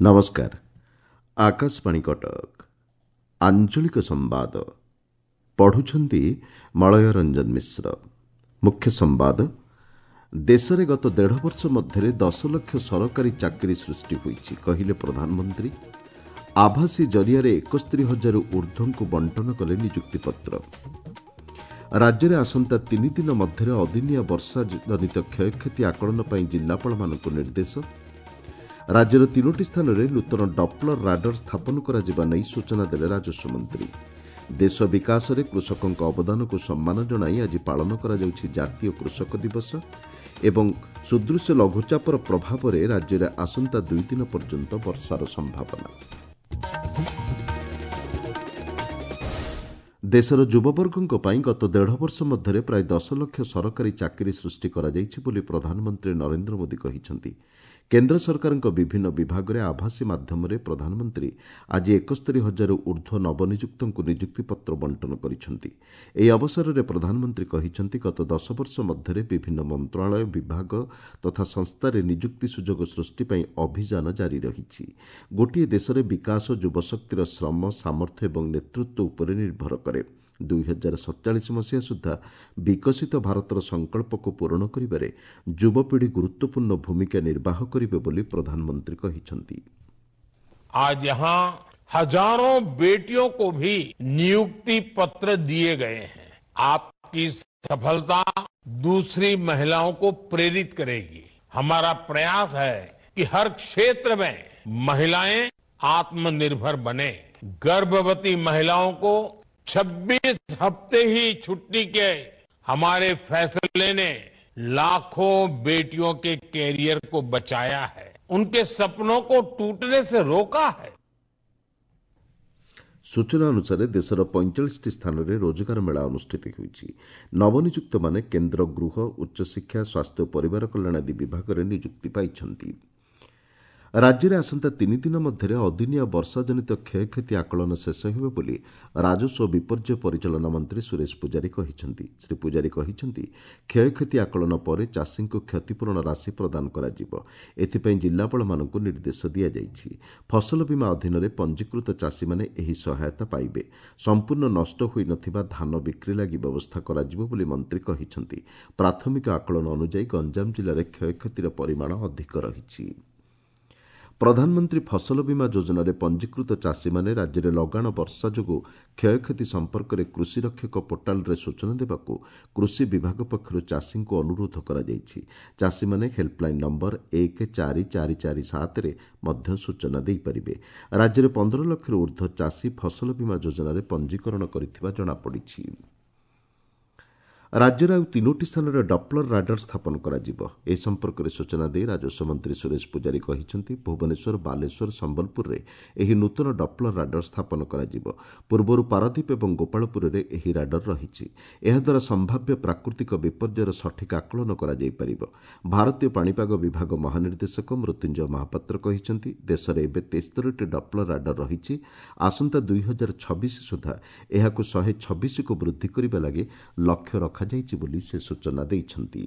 ନମସ୍କାର, ଆକାଶବାଣୀ କଟକ। ଆଞ୍ଚଳିକ ସମ୍ବାଦ ପଢ଼ୁଛନ୍ତି ମଳୟ ରଞ୍ଜନ ମିଶ୍ର। ମୁଖ୍ୟ ସମ୍ବାଦ, ଦେଶରେ ଗତ ଦେଢ଼ ବର୍ଷ ମଧ୍ୟରେ 10 ଲକ୍ଷ ସରକାରୀ ଚାକିରି ସୃଷ୍ଟି ହୋଇଛି, କହିଲେ ପ୍ରଧାନମନ୍ତ୍ରୀ। ଆଭାସୀ ଜରିଆରେ 71 ହଜାରରୁ ଊର୍ଦ୍ଧ୍ୱଙ୍କୁ ବଣ୍ଟନ କଲେ ନିଯୁକ୍ତିପତ୍ର। ରାଜ୍ୟରେ ଆସନ୍ତା 3 ଦିନ ମଧ୍ୟରେ ଅଦିନିଆ ବର୍ଷା ଜନିତ କ୍ଷୟକ୍ଷତି ଆକଳନ ପାଇଁ ଜିଲ୍ଲାପାଳମାନଙ୍କୁ ନିର୍ଦ୍ଦେଶ। ରାଜ୍ୟର 3ଟି ସ୍ଥାନରେ ନୂତନ ଡପ୍ଲର ରାଡର ସ୍ଥାପନ କରାଯିବା ନେଇ ସୂଚନା ଦେଲେ ରାଜସ୍ୱ ମନ୍ତ୍ରୀ। ଦେଶ ବିକାଶରେ କୃଷକଙ୍କ ଅବଦାନକୁ ସମ୍ମାନ ଜଣାଇ ଆଜି ପାଳନ କରାଯାଉଛି ଜାତୀୟ କୃଷକ ଦିବସ। ଏବଂ ସୁଦୃଶ୍ୟ ଲଘୁଚାପର ପ୍ରଭାବରେ ରାଜ୍ୟରେ ଆସନ୍ତା 2 ଦିନ ପର୍ଯ୍ୟନ୍ତ ବର୍ଷାର ସମ୍ଭାବନା। ଦେଶର ଯୁବବର୍ଗଙ୍କ ପାଇଁ ଗତ ଦେଢ଼ ବର୍ଷ ମଧ୍ୟରେ ପ୍ରାୟ 10 ଲକ୍ଷ ସରକାରୀ ଚାକିରି ସୃଷ୍ଟି କରାଯାଇଛି ବୋଲି ପ୍ରଧାନମନ୍ତ୍ରୀ ନରେନ୍ଦ୍ର ମୋଦି କହିଛନ୍ତି। କେନ୍ଦ୍ର ସରକାରଙ୍କ ବିଭିନ୍ନ ବିଭାଗରେ ଆଭାସୀ ମାଧ୍ୟମରେ ପ୍ରଧାନମନ୍ତ୍ରୀ ଆଜି 71 ହଜାରରୁ ଊର୍ଦ୍ଧ୍ୱ ନବନିଯୁକ୍ତଙ୍କୁ ନିଯୁକ୍ତିପତ୍ର ବଣ୍ଟନ କରିଛନ୍ତି। ଏହି ଅବସରରେ ପ୍ରଧାନମନ୍ତ୍ରୀ କହିଛନ୍ତି, ଗତ 10 ବର୍ଷ ମଧ୍ୟରେ ବିଭିନ୍ନ ମନ୍ତ୍ରଣାଳୟ, ବିଭାଗ ତଥା ସଂସ୍ଥାରେ ନିଯୁକ୍ତି ସୁଯୋଗ ସୃଷ୍ଟି ପାଇଁ ଅଭିଯାନ ଜାରି ରହିଛି। ଗୋଟିଏ ଦେଶରେ ବିକାଶ ଯୁବଶକ୍ତିର ଶ୍ରମ, ସାମର୍ଥ୍ୟ ଏବଂ ନେତୃତ୍ୱ ଉପରେ ନିର୍ଭର କରେ। 2047 ମସିହା ସୁଦ୍ଧା ବିକଶିତ ଭାରତର ସଂକଳ୍ପକୁ ପୂରଣ କରିବାରେ ଯୁବପିଢ଼ି ଗୁରୁତ୍ୱପୂର୍ଣ୍ଣ ଭୂମିକା ନିର୍ବାହ କରିବେ ବୋଲି ପ୍ରଧାନମନ୍ତ୍ରୀ କହିଛନ୍ତି। आज यहां हजारों बेटियों को भी नियुक्ति पत्र दिए गए हैं। आपकी सफलता दूसरी महिलाओं को प्रेरित करेगी। हमारा प्रयास है कि हर क्षेत्र में महिलाएं आत्मनिर्भर बने। गर्भवती महिलाओं को 26 हफ्ते ही छुट्टी के हमारे फैसले ने लाखों बेटियों के कैरियर को बचाया है, उनके सपनों को टूटने से रोका है। ସୂଚନା ଅନୁସାରେ ଦେଶର 45ଟି ସ୍ଥାନରେ ରୋଜଗାର ମେଳା ଅନୁଷ୍ଠିତ ହେଉଛି। ନବନିଯୁକ୍ତମାନେ କେନ୍ଦ୍ର ଗୃହ, ଉଚ୍ଚଶିକ୍ଷା, ସ୍ୱାସ୍ଥ୍ୟ ଓ ପରିବାର କଲ୍ୟାଣ ଆଦି ବିଭାଗରେ ନିଯୁକ୍ତି ପାଇଛନ୍ତି। ରାଜ୍ୟରେ ଆସନ୍ତା 3 ଦିନ ମଧ୍ୟରେ ଅଦିନିଆ ବର୍ଷାଜନିତ କ୍ଷୟକ୍ଷତି ଆକଳନ ଶେଷ ହେବ ବୋଲି ରାଜସ୍ୱ ଓ ବିପର୍ଯ୍ୟୟ ପରିଚାଳନା ମନ୍ତ୍ରୀ ସୁରେଶ ପୂଜାରୀ କହିଛନ୍ତି। ଶ୍ରୀ ପୂଜାରୀ କହିଛନ୍ତି, କ୍ଷୟକ୍ଷତି ଆକଳନ ପରେ ଚାଷୀଙ୍କୁ କ୍ଷତିପୂରଣ ରାଶି ପ୍ରଦାନ କରାଯିବ। ଏଥିପାଇଁ ଜିଲ୍ଲାପାଳମାନଙ୍କୁ ନିର୍ଦ୍ଦେଶ ଦିଆଯାଇଛି। ଫସଲ ବୀମା ଅଧୀନରେ ପଞ୍ଜୀକୃତ ଚାଷୀମାନେ ଏହି ସହାୟତା ପାଇବେ। ସମ୍ପୂର୍ଣ୍ଣ ନଷ୍ଟ ହୋଇନଥିବା ଧାନ ବିକ୍ରି ଲାଗି ବ୍ୟବସ୍ଥା କରାଯିବ ବୋଲି ମନ୍ତ୍ରୀ କହିଛନ୍ତି। ପ୍ରାଥମିକ ଆକଳନ ଅନୁଯାୟୀ ଗଞ୍ଜାମ ଜିଲ୍ଲାରେ କ୍ଷୟକ୍ଷତିର ପରିମାଣ ଅଧିକ ରହିଛି। ପ୍ରଧାନମନ୍ତ୍ରୀ ଫସଲ ବୀମା ଯୋଜନାରେ ପଞ୍ଜୀକୃତ ଚାଷୀମାନେ ରାଜ୍ୟରେ ଲଗାଣ ବର୍ଷା ଯୋଗୁଁ କ୍ଷୟକ୍ଷତି ସମ୍ପର୍କରେ କୃଷି ରକ୍ଷକ ପୋର୍ଟାଲରେ ସୂଚନା ଦେବାକୁ କୃଷି ବିଭାଗ ପକ୍ଷରୁ ଚାଷୀଙ୍କୁ ଅନୁରୋଧ କରାଯାଇଛି। ଚାଷୀମାନେ ହେଲ୍ପଲାଇନ୍ ନମ୍ବର 14447ରେ ମଧ୍ୟ ସୂଚନା ଦେଇପାରିବେ। ରାଜ୍ୟରେ 15 ଲକ୍ଷରୁ ଊର୍ଦ୍ଧ୍ୱ ଚାଷୀ ଫସଲ ବୀମା ଯୋଜନାରେ ପଞ୍ଜୀକରଣ କରିଥିବା ଜଣାପଡ଼ିଛି। ରାଜ୍ୟରେ ଆଉ 3ଟି ସ୍ଥାନରେ ଡପ୍ଲର ରାଡର ସ୍ଥାପନ କରାଯିବ। ଏ ସମ୍ପର୍କରେ ସୂଚନା ଦେଇ ରାଜସ୍ୱ ମନ୍ତ୍ରୀ ସୁରେଶ ପୂଜାରୀ କହିଛନ୍ତି, ଭୁବନେଶ୍ୱର, ବାଲେଶ୍ୱର, ସମ୍ବଲପୁରରେ ଏହି ନୂତନ ଡପ୍ଲର ରାଡର ସ୍ଥାପନ କରାଯିବ। ପୂର୍ବରୁ ପାରାଦୀପ ଏବଂ ଗୋପାଳପୁରରେ ଏହି ରାଡର ରହିଛି। ଏହାଦ୍ୱାରା ସମ୍ଭାବ୍ୟ ପ୍ରାକୃତିକ ବିପର୍ଯ୍ୟୟର ସଠିକ୍ ଆକଳନ କରାଯାଇପାରିବ। ଭାରତୀୟ ପାଣିପାଗ ବିଭାଗ ମହାନିର୍ଦ୍ଦେଶକ ମୃତ୍ୟୁଞ୍ଜୟ ମହାପାତ୍ର କହିଛନ୍ତି, ଦେଶରେ ଏବେ 73ଟି ଡପ୍ଲର ରାଡର ରହିଛି। ଆସନ୍ତା 2026 ସୁଦ୍ଧା ଏହାକୁ 126କୁ ବୃଦ୍ଧି କରିବା ଲାଗି ଲକ୍ଷ୍ୟ ରଖାଯାଇଛି ବୋଲି ସେ ସୂଚନା ଦେଇଛନ୍ତି।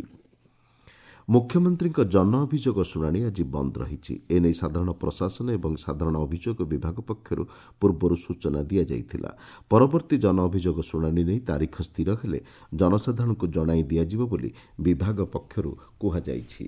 ମୁଖ୍ୟମନ୍ତ୍ରୀଙ୍କ ଜନ ଅଭିଯୋଗ ଶୁଣାଣି ଆଜି ବନ୍ଦ ରହିଛି। ଏନେଇ ସାଧାରଣ ପ୍ରଶାସନ ଏବଂ ସାଧାରଣ ଅଭିଯୋଗ ବିଭାଗ ପକ୍ଷରୁ ପୂର୍ବରୁ ସୂଚନା ଦିଆଯାଇଥିଲା। ପରବର୍ତ୍ତୀ ଜନ ଅଭିଯୋଗ ଶୁଣାଣି ନେଇ ତାରିଖ ସ୍ଥିର ହେଲେ ଜନସାଧାରଣଙ୍କୁ ଜଣାଇ ଦିଆଯିବ ବୋଲି ବିଭାଗ ପକ୍ଷରୁ କୁହାଯାଇଛି।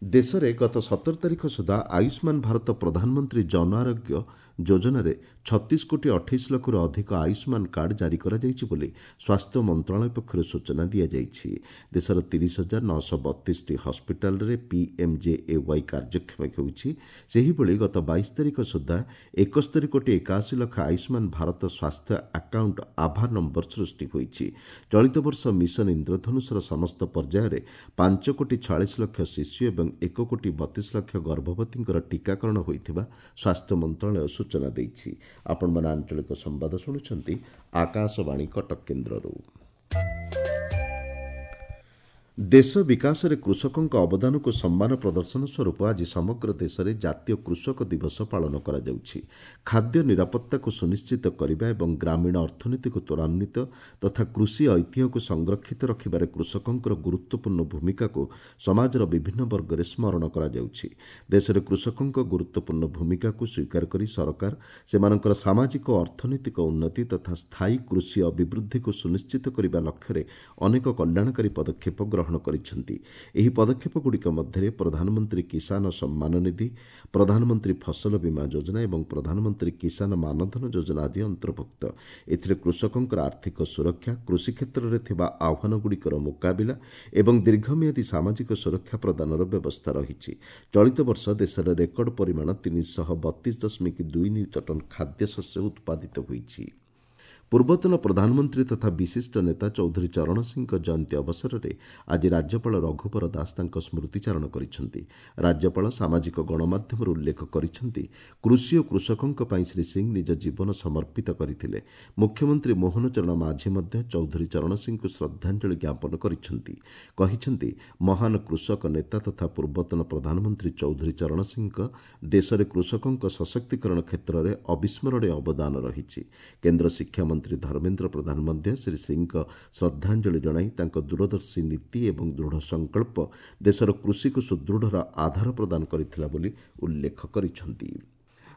ଦେଶରେ ଗତ 17 ତାରିଖ ସୁଦ୍ଧା ଆୟୁଷ୍ମାନ ଭାରତ ପ୍ରଧାନମନ୍ତ୍ରୀ ଜନ ଆରୋଗ୍ୟ ଯୋଜନାରେ 36 କୋଟି 28 ଲକ୍ଷରୁ ଅଧିକ ଆୟୁଷ୍ମାନ କାର୍ଡ ଜାରି କରାଯାଇଛି ବୋଲି ସ୍ୱାସ୍ଥ୍ୟ ମନ୍ତ୍ରଣାଳୟ ପକ୍ଷରୁ ସୂଚନା ଦିଆଯାଇଛି। ଦେଶର 30,932ଟି ହସ୍ପିଟାଲରେ ପିଏମ୍ଜେଏୱାଇ କାର୍ଯ୍ୟକ୍ଷମ ହେଉଛି। ସେହିଭଳି ଗତ 22 ତାରିଖ ସୁଦ୍ଧା 71 କୋଟି 81 ଲକ୍ଷ ଆୟୁଷ୍ମାନ ଭାରତ ସ୍ୱାସ୍ଥ୍ୟ ଆକାଉଣ୍ଟ ଆଭା ନମ୍ବର ସୃଷ୍ଟି ହୋଇଛି। ଚଳିତ ବର୍ଷ ମିଶନ ଇନ୍ଦ୍ରଧନୁଷର ସମସ୍ତ ପର୍ଯ୍ୟାୟରେ 5 କୋଟି 46 ଲକ୍ଷ ଶିଶୁ ଏବଂ 1 କୋଟି 32 ଲକ୍ଷ ଗର୍ଭବତୀଙ୍କର ଟୀକାକରଣ ହୋଇଥିବା ସ୍ୱାସ୍ଥ୍ୟ ମନ୍ତ୍ରଣାଳୟ ସୂଚନା ଦେଇଛି। ଆପଣମାନେ ଆଞ୍ଚଳିକ ସମ୍ବାଦ ଶୁଣୁଛନ୍ତି ଆକାଶବାଣୀ କଟକ କେନ୍ଦ୍ରରୁ। ଦେଶ ବିକାଶରେ କୃଷକଙ୍କ ଅବଦାନକୁ ସମ୍ମାନ ପ୍ରଦର୍ଶନ ସ୍ୱରୂପ ଆଜି ସମଗ୍ର ଦେଶରେ ଜାତୀୟ କୃଷକ ଦିବସ ପାଳନ କରାଯାଉଛି। ଖାଦ୍ୟ ନିରାପତ୍ତାକୁ ସୁନିଶ୍ଚିତ କରିବା ଏବଂ ଗ୍ରାମୀଣ ଅର୍ଥନୀତିକୁ ତ୍ୱରାନ୍ୱିତ ତଥା କୃଷି ଐତିହ୍ୟକୁ ସଂରକ୍ଷିତ ରଖିବାରେ କୃଷକଙ୍କର ଗୁରୁତ୍ୱପୂର୍ଣ୍ଣ ଭୂମିକାକୁ ସମାଜର ବିଭିନ୍ନ ବର୍ଗରେ ସ୍ମରଣ କରାଯାଉଛି। ଦେଶରେ କୃଷକଙ୍କ ଗୁରୁତ୍ୱପୂର୍ଣ୍ଣ ଭୂମିକାକୁ ସ୍ୱୀକାର କରି ସରକାର ସେମାନଙ୍କର ସାମାଜିକ ଓ ଅର୍ଥନୈତିକ ଉନ୍ନତି ତଥା ସ୍ଥାୟୀ କୃଷି ଅଭିବୃଦ୍ଧିକୁ ସୁନିଶ୍ଚିତ କରିବା ଲକ୍ଷ୍ୟରେ ଅନେକ କଲ୍ୟାଣକାରୀ ପଦକ୍ଷେପ ଗ୍ରହଣ କରିଛନ୍ତି। ଏହି ପଦକ୍ଷେପଗୁଡ଼ିକ ମଧ୍ୟରେ ପ୍ରଧାନମନ୍ତ୍ରୀ କିଷାନ ସମ୍ମାନ ନିଧି, ପ୍ରଧାନମନ୍ତ୍ରୀ ଫସଲ ବୀମା ଯୋଜନା ଏବଂ ପ୍ରଧାନମନ୍ତ୍ରୀ କିଷାନ ମାନଧନ ଯୋଜନା ଆଦି ଅନ୍ତର୍ଭୁକ୍ତ। ଏଥିରେ କୃଷକଙ୍କର ଆର୍ଥିକ ସୁରକ୍ଷା, କୃଷି କ୍ଷେତ୍ରରେ ଥିବା ଆହ୍ୱାନଗୁଡ଼ିକର ମୁକାବିଲା ଏବଂ ଦୀର୍ଘମିଆଦୀ ସାମାଜିକ ସୁରକ୍ଷା ପ୍ରଦାନର ବ୍ୟବସ୍ଥା ରହିଛି। ଚଳିତ ବର୍ଷ ଦେଶରେ ରେକର୍ଡ ପରିମାଣ 332.2 ନିୟୁତ ଟନ୍ ଖାଦ୍ୟଶସ୍ୟ ଉତ୍ପାଦିତ ହୋଇଛି। ପୂର୍ବତନ ପ୍ରଧାନମନ୍ତ୍ରୀ ତଥା ବିଶିଷ୍ଟ ନେତା ଚୌଧୁରୀ ଚରଣ ସିଂହଙ୍କ ଜୟନ୍ତୀ ଅବସରରେ ଆଜି ରାଜ୍ୟପାଳ ରଘୁବର ଦାସ ତାଙ୍କ ସ୍ମୃତିଚାରଣ କରିଛନ୍ତି। ରାଜ୍ୟପାଳ ସାମାଜିକ ଗଣମାଧ୍ୟମରେ ଉଲ୍ଲେଖ କରିଛନ୍ତି, କୃଷି ଓ କୃଷକଙ୍କ ପାଇଁ ଶ୍ରୀ ସିଂହ ନିଜ ଜୀବନ ସମର୍ପିତ କରିଥିଲେ। ମୁଖ୍ୟମନ୍ତ୍ରୀ ମୋହନ ଚରଣ ମାଝୀ ମଧ୍ୟ ଚୌଧୁରୀ ଚରଣ ସିଂହଙ୍କୁ ଶ୍ରଦ୍ଧାଞ୍ଜଳି ଜ୍ଞାପନ କରିଛନ୍ତି। କହିଛନ୍ତି, ମହାନ କୃଷକ ନେତା ତଥା ପୂର୍ବତନ ପ୍ରଧାନମନ୍ତ୍ରୀ ଚୌଧୁରୀ ଚରଣ ସିଂହଙ୍କ ଦେଶରେ କୃଷକଙ୍କ ସଶକ୍ତିକରଣ କ୍ଷେତ୍ରରେ ଅବିସ୍ମରଣୀୟ ଅବଦାନ ରହିଛି। କେନ୍ଦ୍ର ଶିକ୍ଷାମନ୍ତ୍ରୀ ଧର୍ମେନ୍ଦ୍ର ପ୍ରଧାନ ମଧ୍ୟ ଶ୍ରୀ ସିଂହଙ୍କ ଶ୍ରଦ୍ଧାଞ୍ଜଳି ଜଣାଇ ତାଙ୍କ ଦୂରଦର୍ଶୀ ନୀତି ଏବଂ ଦୃଢ଼ ସଂକଳ୍ପ ଦେଶର କୃଷିକୁ ସୁଦୃଢ଼ର ଆଧାର ପ୍ରଦାନ କରିଥିଲା ବୋଲି ଉଲ୍ଲେଖ କରିଛନ୍ତି।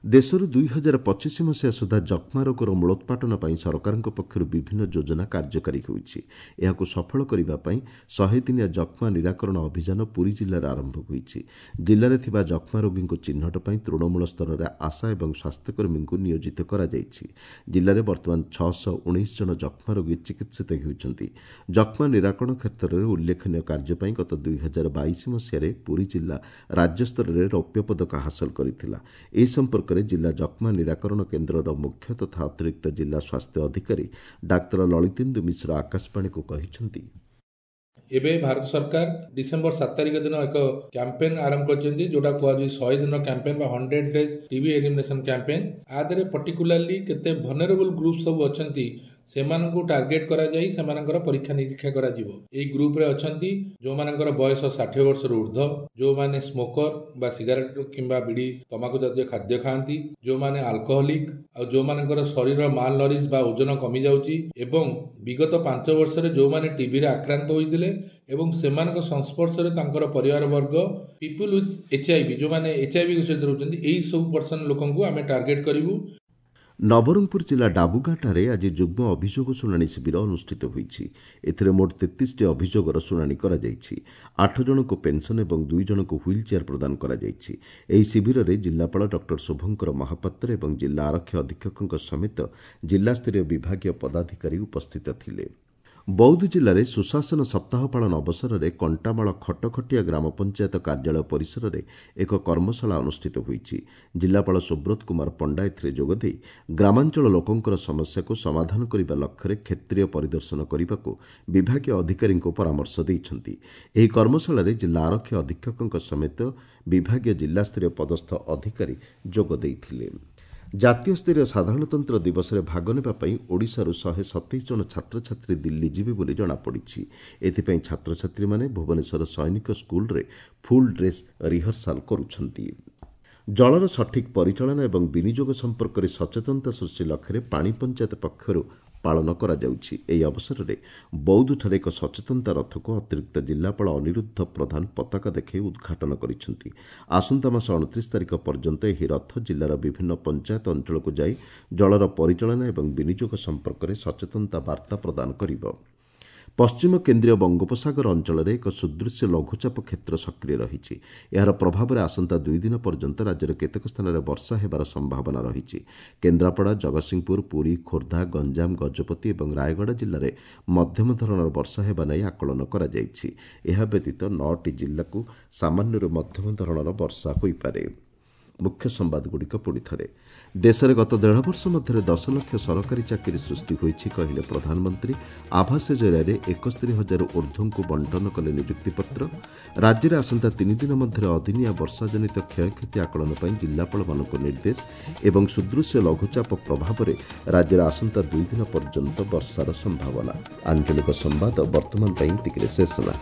ଦେଶରୁ 2025 ମସିହା ସୁଦ୍ଧା ଯକ୍ଷ୍ମା ରୋଗର ମୂଳୋତ୍ପାଟନ ପାଇଁ ସରକାରଙ୍କ ପକ୍ଷରୁ ବିଭିନ୍ନ ଯୋଜନା କାର୍ଯ୍ୟକାରୀ ହେଉଛି। ଏହାକୁ ସଫଳ କରିବା ପାଇଁ 100 ଦିନିଆ ଯକ୍ଷ୍ମା ନିରାକରଣ ଅଭିଯାନ ପୁରୀ ଜିଲ୍ଲାରେ ଆରମ୍ଭ ହୋଇଛି। ଜିଲ୍ଲାରେ ଥିବା ଯକ୍ଷ୍ମା ରୋଗୀଙ୍କୁ ଚିହ୍ନଟ ପାଇଁ ତୃଣମୂଳ ସ୍ତରରେ ଆଶା ଏବଂ ସ୍ୱାସ୍ଥ୍ୟକର୍ମୀଙ୍କୁ ନିୟୋଜିତ କରାଯାଇଛି। ଜିଲ୍ଲାରେ ବର୍ତ୍ତମାନ 619 ଜଣ ଯକ୍ଷ୍ମା ରୋଗୀ ଚିକିତ୍ସିତ ହେଉଛନ୍ତି। ଯକ୍ଷ୍ମା ନିରାକରଣ କ୍ଷେତ୍ରରେ ଉଲ୍ଲେଖନୀୟ କାର୍ଯ୍ୟ ପାଇଁ ଗତ 2022 ମସିହାରେ ପୁରୀ ଜିଲ୍ଲା ରାଜ୍ୟସ୍ତରରେ ରୌପ୍ୟ ପଦକ ହାସଲ କରିଥିଲା। ଏ ସମ୍ପର୍କରେ ଜିଲ୍ଲା ଯକ୍ଷ୍ମା ନିରାକରଣ କେନ୍ଦ୍ରର ମୁଖ୍ୟ ତଥା ଅତିରିକ୍ତ ଜିଲ୍ଲା ସ୍ୱାସ୍ଥ୍ୟ ଅଧିକାରୀ ଡାକ୍ତର ଲଳିତେନ୍ଦୁ ମିଶ୍ର ଆକାଶବାଣୀକୁ କହିଛନ୍ତି, ଏବେ ଭାରତ ସରକାର ଡିସେମ୍ବର 7 ତାରିଖ ଦିନ ଏକ କ୍ୟାମ୍ପେନ୍ ଆରମ୍ଭ କରିଛନ୍ତି, ଯୋଉଟା କୁହାଯାଉଛି 100 ଦିନ କ୍ୟାମ୍ପେନ୍ ବା 100 ଡେଜ୍ ଟିବି ଏଲିମିନେସନ୍ କ୍ୟାମ୍ପେନ୍। ଆ ଦେହରେ ପର୍ଟିକୁଲାରଲି କେତେ ଭଲନେରେବଲ୍ ଗ୍ରୁପ୍ ସବୁ ଅଛନ୍ତି ସେମାନଙ୍କୁ ଟାର୍ଗେଟ୍ କରାଯାଇ ସେମାନଙ୍କର ପରୀକ୍ଷା ନିରୀକ୍ଷା କରାଯିବ। ଏଇ ଗ୍ରୁପରେ ଅଛନ୍ତି ଯେଉଁମାନଙ୍କର ବୟସ 60 ବର୍ଷରୁ ଉର୍ଦ୍ଧ୍ୱ, ଯେଉଁମାନେ ସ୍ମୋକର ବା ସିଗାରେଟ କିମ୍ବା ବିଡ଼ି ତମାଖୁ ଜାତୀୟ ଖାଦ୍ୟ ଖାଆନ୍ତି, ଯେଉଁମାନେ ଆଲକୋହଲିକ୍, ଆଉ ଯେଉଁମାନଙ୍କର ଶରୀର ମାଲ ନରିଶ ବା ଓଜନ କମିଯାଉଛି, ଏବଂ ବିଗତ 5 ବର୍ଷରେ ଯେଉଁମାନେ ଟିବିରେ ଆକ୍ରାନ୍ତ ହୋଇଥିଲେ ଏବଂ ସେମାନଙ୍କ ସଂସ୍ପର୍ଶରେ ତାଙ୍କର ପରିବାର ବର୍ଗ, ପିପୁଲ୍ ୱିଥ୍ HIV, ଯେଉଁମାନେ HIV ସହିତ ରହୁଛନ୍ତି, ଏହି ସବୁ ପର୍ସନ ଲୋକଙ୍କୁ ଆମେ ଟାର୍ଗେଟ୍ କରିବୁ। ନବରଙ୍ଗପୁର ଜିଲ୍ଲା ଡାବୁଗାଁଠାରେ ଆଜି ଯୁଗ୍ମ ଅଭିଯୋଗ ଶୁଣାଣି ଶିବିର ଅନୁଷ୍ଠିତ ହୋଇଛି। ଏଥିରେ ମୋଟ 33ଟି ଅଭିଯୋଗର ଶୁଣାଣି କରାଯାଇଛି। 8 ଜଣଙ୍କୁ ପେନ୍ସନ୍ ଏବଂ 2 ଜଣଙ୍କୁ ହ୍ୱିଲ୍ ଚେୟାର ପ୍ରଦାନ କରାଯାଇଛି। ଏହି ଶିବିରରେ ଜିଲ୍ଲାପାଳ ଡକ୍ଟର ଶୁଭଙ୍କର ମହାପାତ୍ର ଏବଂ ଜିଲ୍ଲା ଆରକ୍ଷୀ ଅଧୀକ୍ଷକଙ୍କ ସମେତ ଜିଲ୍ଲାସ୍ତରୀୟ ବିଭାଗୀୟ ପଦାଧିକାରୀ ଉପସ୍ଥିତ ଥିଲେ। ବୌଦ୍ଧ ଜିଲ୍ଲାରେ ସୁଶାସନ ସପ୍ତାହ ପାଳନ ଅବସରରେ କଣ୍ଟାମାଳ ଖଟଖଟିଆ ଗ୍ରାମ ପଞ୍ଚାୟତ କାର୍ଯ୍ୟାଳୟ ପରିସରରେ ଏକ କର୍ମଶାଳା ଅନୁଷ୍ଠିତ ହୋଇଛି। ଜିଲ୍ଲାପାଳ ସୁବ୍ରତ କୁମାର ପଣ୍ଡା ଏଥିରେ ଯୋଗଦେଇ ଗ୍ରାମାଞ୍ଚଳ ଲୋକଙ୍କର ସମସ୍ୟାକୁ ସମାଧାନ କରିବା ଲକ୍ଷ୍ୟରେ କ୍ଷେତ୍ରୀୟ ପରିଦର୍ଶନ କରିବାକୁ ବିଭାଗୀୟ ଅଧିକାରୀଙ୍କୁ ପରାମର୍ଶ ଦେଇଛନ୍ତି। ଏହି କର୍ମଶାଳାରେ ଜିଲ୍ଲା ଆରକ୍ଷୀ ଅଧୀକ୍ଷକଙ୍କ ସମେତ ବିଭାଗୀୟ ଜିଲ୍ଲାସ୍ତରୀୟ ପଦସ୍ଥ ଅଧିକାରୀ ଯୋଗ ଦେଇଥିଲେ। ଜାତୀୟ ସ୍ତରୀୟ ସାଧାରଣତନ୍ତ୍ର ଦିବସରେ ଭାଗ ନେବା ପାଇଁ ଓଡ଼ିଶାରୁ 127 ଜଣ ଛାତ୍ରଛାତ୍ରୀ ଦିଲ୍ଲୀ ଯିବେ ବୋଲି ଜଣାପଡ଼ିଛି। ଏଥିପାଇଁ ଛାତ୍ରଛାତ୍ରୀମାନେ ଭୁବନେଶ୍ୱର ସୈନିକ ସ୍କୁଲରେ ଫୁଲ୍ ଡ୍ରେସ୍ ରିହର୍ସାଲ କରୁଛନ୍ତି। ଜଳର ସଠିକ୍ ପରିଚାଳନା ଏବଂ ବିନିଯୋଗ ସମ୍ପର୍କରେ ସଚେତନତା ସୃଷ୍ଟି ଲକ୍ଷ୍ୟରେ ପାଣି ପଞ୍ଚାୟତ ପକ୍ଷରୁ ପାଳନ କରାଯାଉଛି। ଏହି ଅବସରରେ ବୌଦ୍ଧଠାରେ ଏକ ସଚେତନତା ରଥକୁ ଅତିରିକ୍ତ ଜିଲ୍ଲାପାଳ ଅନିରୁଦ୍ଧ ପ୍ରଧାନ ପତାକା ଦେଖାଇ ଉଦ୍ଘାଟନ କରିଛନ୍ତି। ଆସନ୍ତା ମାସ 29 ତାରିଖ ପର୍ଯ୍ୟନ୍ତ ଏହି ରଥ ଜିଲ୍ଲାର ବିଭିନ୍ନ ପଞ୍ଚାୟତ ଅଞ୍ଚଳକୁ ଯାଇ ଜଳର ପରିଚାଳନା ଏବଂ ବିନିଯୋଗ ସମ୍ପର୍କରେ ସଚେତନତା ବାର୍ତ୍ତା ପ୍ରଦାନ କରିବ। ପଶ୍ଚିମ କେନ୍ଦ୍ରୀୟ ବଙ୍ଗୋପସାଗର ଅଞ୍ଚଳରେ ଏକ ସୁଦୃଶ୍ୟ ଲଘୁଚାପ କ୍ଷେତ୍ର ସକ୍ରିୟ ରହିଛି। ଏହାର ପ୍ରଭାବରେ ଆସନ୍ତା 2 ଦିନ ପର୍ଯ୍ୟନ୍ତ ରାଜ୍ୟର କେତେକ ସ୍ଥାନରେ ବର୍ଷା ହେବାର ସମ୍ଭାବନା ରହିଛି। କେନ୍ଦ୍ରାପଡ଼ା, ଜଗତସିଂହପୁର, ପୁରୀ, ଖୋର୍ଦ୍ଧା, ଗଞ୍ଜାମ, ଗଜପତି ଏବଂ ରାୟଗଡ଼ା ଜିଲ୍ଲାରେ ମଧ୍ୟମ ଧରଣର ବର୍ଷା ହେବା ନେଇ ଆକଳନ କରାଯାଇଛି। ଏହା ବ୍ୟତୀତ 9ଟି ଜିଲ୍ଲାକୁ ସାମାନ୍ୟରୁ ମଧ୍ୟମ ଧରଣର ବର୍ଷା ହୋଇପାରେ। ମୁଖ୍ୟ ସମ୍ବାଦଗୁଡ଼ିକ ପୁଣି ଥରେ। ଦେଶରେ ଗତ 1.5 ବର୍ଷ ମଧ୍ୟରେ 10 ଲକ୍ଷ ସରକାରୀ ଚାକିରି ସୃଷ୍ଟି ହୋଇଛି କହିଲେ ପ୍ରଧାନମନ୍ତ୍ରୀ। ଆଭାସ ଜରିଆରେ 71,000 ଉର୍ଦ୍ଧ୍ୱଙ୍କୁ ବଣ୍ଟନ କଲେ ନିଯୁକ୍ତିପତ୍ର। ରାଜ୍ୟରେ ଆସନ୍ତା 3 ଦିନ ମଧ୍ୟରେ ଅଦିନିଆ ବର୍ଷାଜନିତ କ୍ଷୟକ୍ଷତି ଆକଳନ ପାଇଁ ଜିଲ୍ଲାପାଳମାନଙ୍କୁ ନିର୍ଦ୍ଦେଶ ଏବଂ ସୁଦୃଶ୍ୟ ଲଘୁଚାପ ପ୍ରଭାବରେ ରାଜ୍ୟରେ ଆସନ୍ତା 2 ଦିନ ପର୍ଯ୍ୟନ୍ତ ବର୍ଷାର ସମ୍ଭାବନା। ଆଞ୍ଚଳିକ ସମ୍ବାଦ ବର୍ତ୍ତମାନ ପାଇଁ ଏତିକିରେ ଶେଷ ହେଲା।